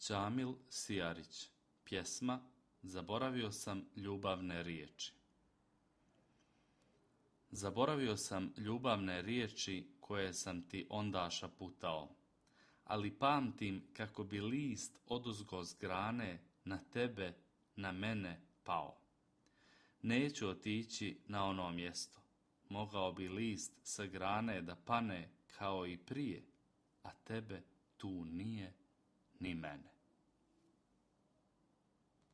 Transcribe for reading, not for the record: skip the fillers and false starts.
Džamil Sijarić. Pjesma Zaboravio sam ljubavne riječi. Zaboravio sam ljubavne riječi koje sam ti onda šaputao, ali pamtim kako bi list oduzgo s grane na tebe, na mene pao. Neću otići na ono mjesto, mogao bi list sa grane da pane kao i prije, a tebe tu nije ni mene.